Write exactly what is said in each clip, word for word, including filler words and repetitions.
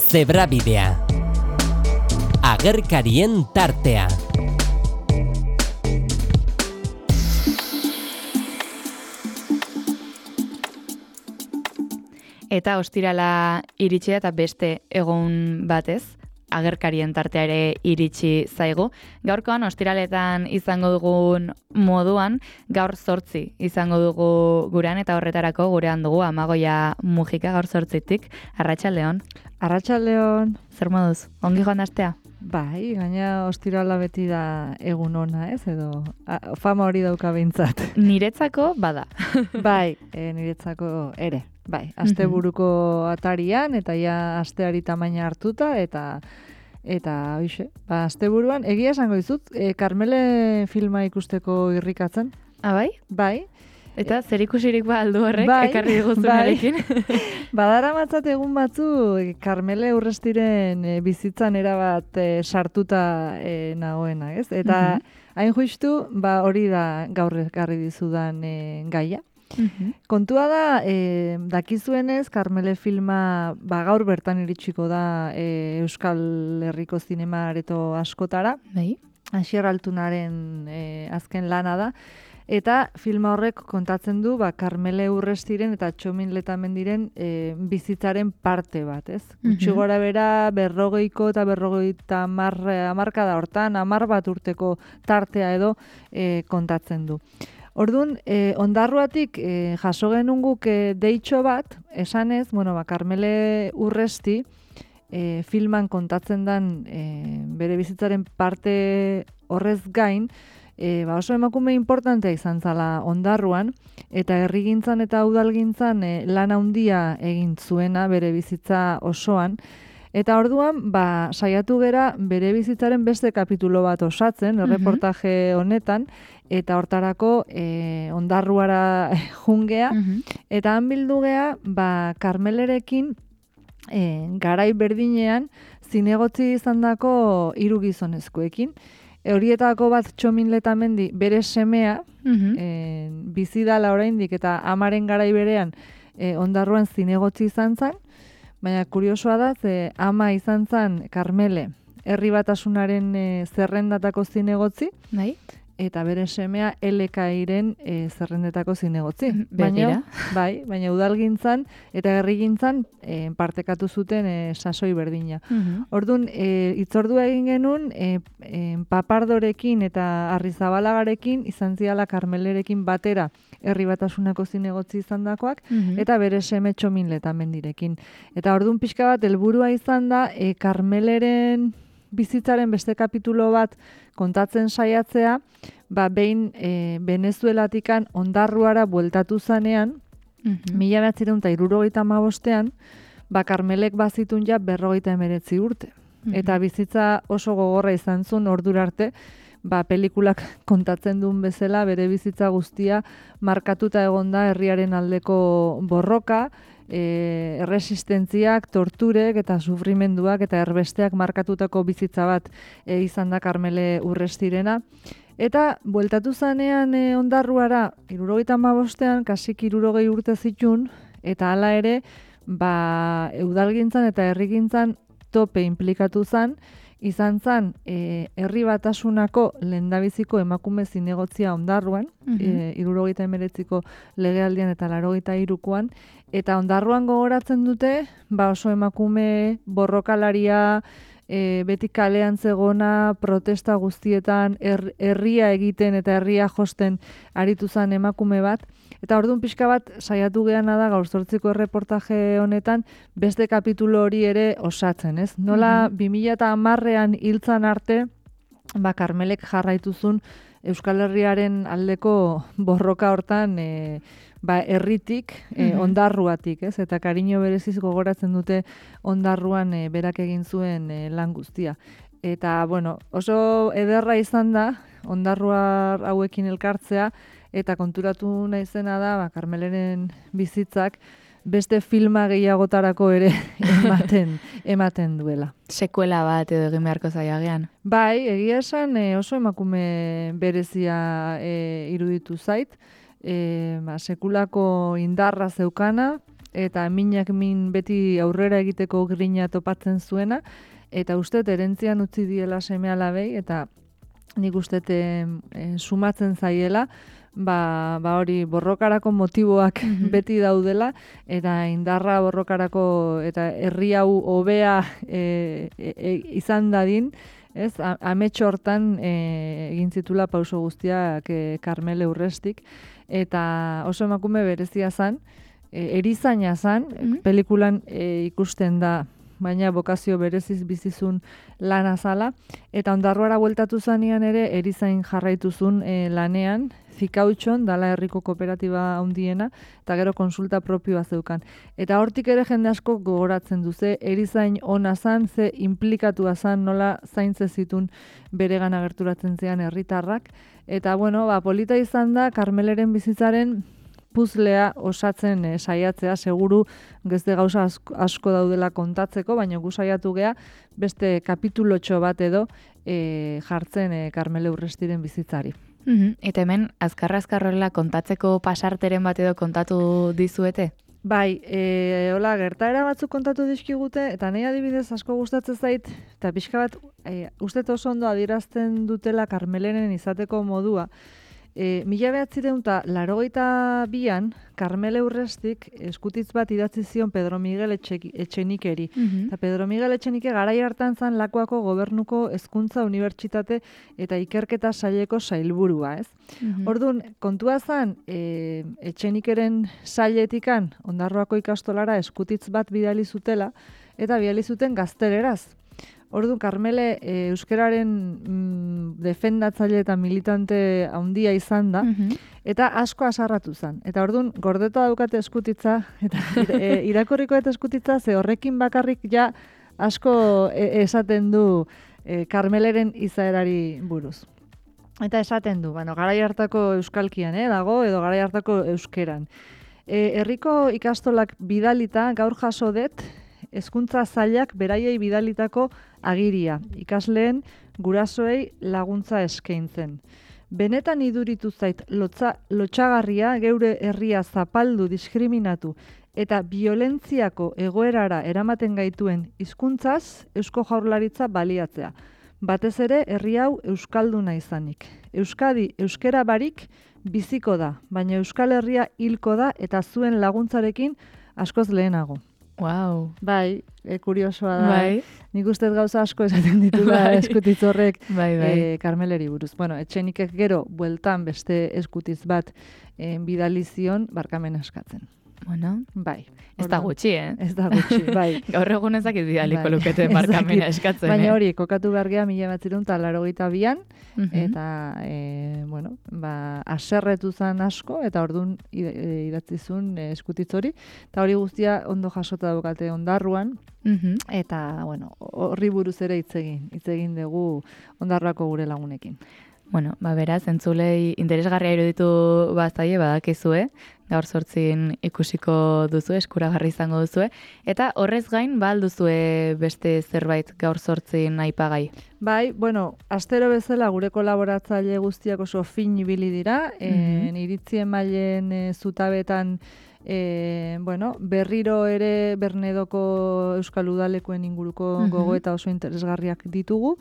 Zebrabidea. Agerkarien tartea. Eta ostirala iritsi eta beste egun batez, agerkarien tartea ere iritsi zaigu. Gaurkoan ostiraletan izango dugun moduan, gaur zortzi izango dugu gurean eta horretarako gurean dugu Amagoia Mujika gaur zortzitik. Arratsaldeon. Arratsaldeon. Zer moduz? Ongi joan astea? Bai, gaina ostirala beti da egun ona, ez? Edo a, fama hori dauka behintzat. Niretzako bada. Bai, e, niretzako ere. Bai, asteburuko atarian eta ja asteari tamaina hartuta eta eta hoize, ba asteburuan egia esango dizut, e, Karmele filma ikusteko irrikatzen. Ah, bai? Bai. Eta zer ikusirik ba aldu horrek bai, ekarri diguzunarekin. Bai. Badara matzat egun batzu Karmele Urrestiren e, bizitzan erabat e, sartuta e, nagoena, ez? Eta uh -huh. hain justu, ba hori da gaur ekarri dizudan e, gaia. Uh-huh. Kontua da, e, dakizuenez, Karmele filma ba, gaur bertan iritsiko da e, Euskal Herriko zinema areto askotara. Bai. Asier Altunaren e, azken lana da. Eta filma horrek kontatzen du ba, Karmele Urrestiren eta Txomin Letamendiren e, bizitzaren parte bat, ez? Gutxi gora bera berrogeiko eta berrogeita hamarka da hortan, hamar bat urteko tartea edo e, kontatzen du. Orduan, eh, ondarruatik eh, jaso genuen guk eh, deitxo bat, esanez, bueno, ba, Karmele Urresti eh, filman kontatzen dan eh, bere bizitzaren parte horrez gain, eh, ba, oso emakume importantea izan zala ondarruan, eta herrigintzan eta udalgintzan eh, lan handia egin zuena bere bizitza osoan, eta orduan, ba, saiatu gera bere bizitzaren beste kapitulo bat osatzen, erreportaje honetan, eta hortarako e, ondarruara jungea, uh-huh. eta han bildu gea, ba, Karmelerekin e, garai berdinean zinegotzi izandako hiru gizonezkoekin. E, horietako bat Txomin Letamendi bere semea, uh-huh. e, bizi dala oraindik eta amaren garai berean e, ondarruan zinegotzi izan zen, baina kuriosoa da, ze ama izan zen Karmele herri batasunaren e, zerrendatako zinegotzi, bai. Eta bere semea L K I-ren e, zerrendetako zinegotzi. Baina, bai, baina udalgintzan eta herrigintzan e, partekatu zuten e, sasoi berdina. Uh-huh. Orduan, e, itzordua egin genuen e, e, Papardorekin eta Arrizabalagarekin izan ziala Karmelerekin batera herri batasunako zinegotzi izandakoak, uh-huh. eta bere seme Txomin Letamendirekin. Eta orduan pixka bat helburua izan da e, Karmeleren bizitzaren beste kapitulo bat kontatzen saiatzea, ba behin e, Venezuelatikan ondarruara bueltatu zanean, uh-huh. mila bederatziehun eta hirurogeita hamabostean, ba Karmelek bazitun ja berrogeita hemeretzi urte. Uh-huh. Eta bizitza oso gogorra izan zuen ordura arte, ba pelikulak kontatzen duen bezala bere bizitza guztia markatuta egonda herriaren aldeko borroka, E, erresistentziak, torturek eta sufrimenduak eta erbesteak markatutako bizitza bat e, izan da Karmele Urrestirena. Eta bueltatu zanean e, ondarruara, hirurogeita hamabostean, kasik hirurogei urte zitun, eta hala ere, ba, eudalgintzan eta herrigintzan tope implikatu zan, izan zan e, herri batasunako lehendabiziko emakume zinegotzia ondarruan, uh-huh. e, hirurogeita hemeretziko legealdian eta laurogeita hirukoan, eta ondarruan gogoratzen dute, ba oso emakume borrokalaria, e, beti kalean zegona, protesta guztietan, her, herria egiten eta herria josten aritu zan emakume bat. Eta orduan pixka bat saiatu geana da gaur zortziko erreportaje honetan beste kapitulo hori ere osatzen, ez? Nola mm-hmm. bi mila hamarrean hiltzan arte, ba Karmelek jarraituzun Euskal Herriaren aldeko borroka hortan e, ba herritik, e, mm-hmm. ondarruatik, ez? Eta kariño bereziz gogoratzen dute ondarruan e, berak egin zuen e, lan guztia. Eta, bueno, oso ederra izan da ondarruar hauekin elkartzea, eta konturatu naizena da, ba, Karmeleren bizitzak beste filma gehiagotarako ere ematen ematen duela. Sekuela bat edo egin beharko zaiagean. Bai, egia esan e, oso emakume berezia e, iruditu zait, e, ba, sekulako indarra zeukana, eta minak min beti aurrera egiteko grina topatzen zuena, eta uste erentzian utzi diela seme alabei, eta nik uste e, sumatzen zaiela, ba, ba hori borrokarako motiboak mm-hmm. beti daudela, eta indarra borrokarako eta herri hau hobea e, e, e, izan dadin, ez, ametxo hortan e, egin zitula pauso guztiak e, Karmele Urrestik, eta oso emakume berezia zan, e, erizaina zan, mm-hmm. pelikulan e, ikusten da, baina bokazio bereziz bizizun lan azala, eta ondarruara bueltatu zanean ere erizain jarraituzun e, lanean, Zikautxon, dala herriko kooperatiba handiena, eta gero konsulta propioa zeukan. Eta hortik ere jende asko gogoratzen du, ze erizain ona zan, ze implikatua zan, nola zaintze zitun beregan agerturatzen zean herritarrak. Eta bueno, ba, polita izan da, Karmeleren bizitzaren puzlea osatzen e, saiatzea, seguru gezde gauza asko, asko daudela kontatzeko, baina gu saiatu gea beste kapitulotxo bat edo e, jartzen e, Karmele Urrestiren bizitzari. Mm-hmm. Eta hemen, azkarra-azkarroela kontatzeko pasarteren bat edo kontatu dizuete? Bai, e, hola, gertaera batzuk kontatu dizkigute, eta nahi adibidez asko gustatzen zait, eta pixka bat, e, uste oso ondo adierazten dutela Karmeleren izateko modua. E, mila behatzireun eta larogeita bian, Karmele Urrestik eskutitz bat idatzi zion Pedro Miguel Etxenikeri. Mm-hmm. Eta Pedro Miguel Etxenike garai hartan zan Lakuako gobernuko hezkuntza unibertsitate eta ikerketa saileko sailburua, ez? Mm-hmm. Orduan, kontua zan, e, Etxenikeren sailetikan Ondarroako ikastolara eskutitz bat bidali zutela, eta bidali zuten gazteleraz. Orduan, Karmele e, euskararen mm, defendatzaile eta militante handia izan da, mm-hmm. eta asko asarratu zen. Eta orduan, gordeta daukate eskutitza, eta e, irakurriko eta eskutitza, ze horrekin bakarrik ja asko e, esaten du e, Karmeleren izaerari buruz. Eta esaten du, bueno, garai hartako euskalkian eh, dago, edo garai hartako euskeran. E, herriko ikastolak bidalita gaur jaso dut, hezkuntza zailak beraiei bidalitako agiria, ikasleen gurasoei laguntza eskaintzen. Benetan iduritu zait lotza, lotxagarria geure herria zapaldu, diskriminatu eta violentziako egoerara eramaten gaituen hizkuntzaz Eusko Jaurlaritza baliatzea. Batez ere herri hau euskalduna izanik. Euskadi euskera barik biziko da, baina Euskal Herria hilko da eta zuen laguntzarekin askoz lehenago. Wow. Bai, e, kuriosoa da. Bai. Nik ustez gauza asko esaten ditula bai. Eskutitz horrek bai, bai. E, Karmeleri buruz. Bueno, Etxenikek gero bueltan beste eskutitz bat e, bidalizion barkamen eskatzen. Bueno, bai. Ez da gutxi, eh? Ez da gutxi, bai. Gaur egun ezakit bidaliko bai. Lukete barkamena eskatzen, baina eh? hori, kokatu gargea mila batzirun eta larogeita bian, uh-huh. eta, e, bueno, ba, aserretu zan asko, eta orduan idatzizun e, eskutitz hori, eta hori guztia ondo jasota daukate Ondarruan, uh-huh. eta, bueno, horri buruz ere hitz egin, hitz egin dugu Ondarruako gure lagunekin. Bueno, ba beraz, entzulei interesgarria iruditu bazaie badakizue, gaur zortzin ikusiko duzu, eskuragarri izango duzue, eta horrez gain, ba alduzue beste zerbait gaur zortzin aipagai. Bai, bueno, astero bezala gure kolaboratzaile guztiak oso fin ibili dira, mm-hmm. e, iritzien mailen e, zutabetan E, bueno, berriro ere Bernedoko Euskal Udalekoen inguruko uh-huh. gogoeta oso interesgarriak ditugu.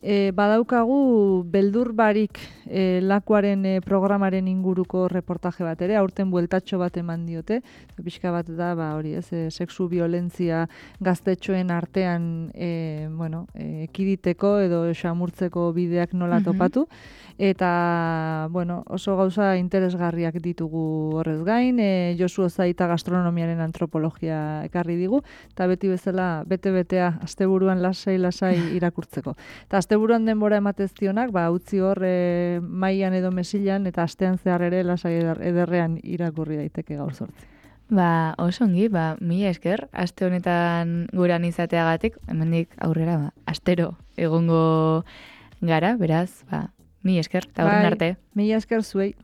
E, badaukagu beldur barik e, Lakuaren e, programaren inguruko reportaje bat ere, aurten bueltatxo bat eman diote, pixka bat da, ba, hori ez, e, sexu violentzia gaztetxoen artean e, bueno, e, ekiditeko edo xamurtzeko bideak nola topatu, eta bueno, oso gauza interesgarriak ditugu horrez gain, e, Josu Ozaita gastronomiaren antropologia ekarri digu, eta beti bezala bete-betea asteburuan lasai-lasai irakurtzeko. Eta asteburuan denbora emateztionak, ba, utzi hor e, mailan edo mesilan, eta astean zehar ere lasai ederrean irakurri daiteke gaur zortzi. Ba, oso ongi, ba, mila esker, aste honetan guran izateagatik, hemendik aurrera, ba, astero egongo gara, beraz, ba, mila esker, eta horren arte. Mila esker zuei.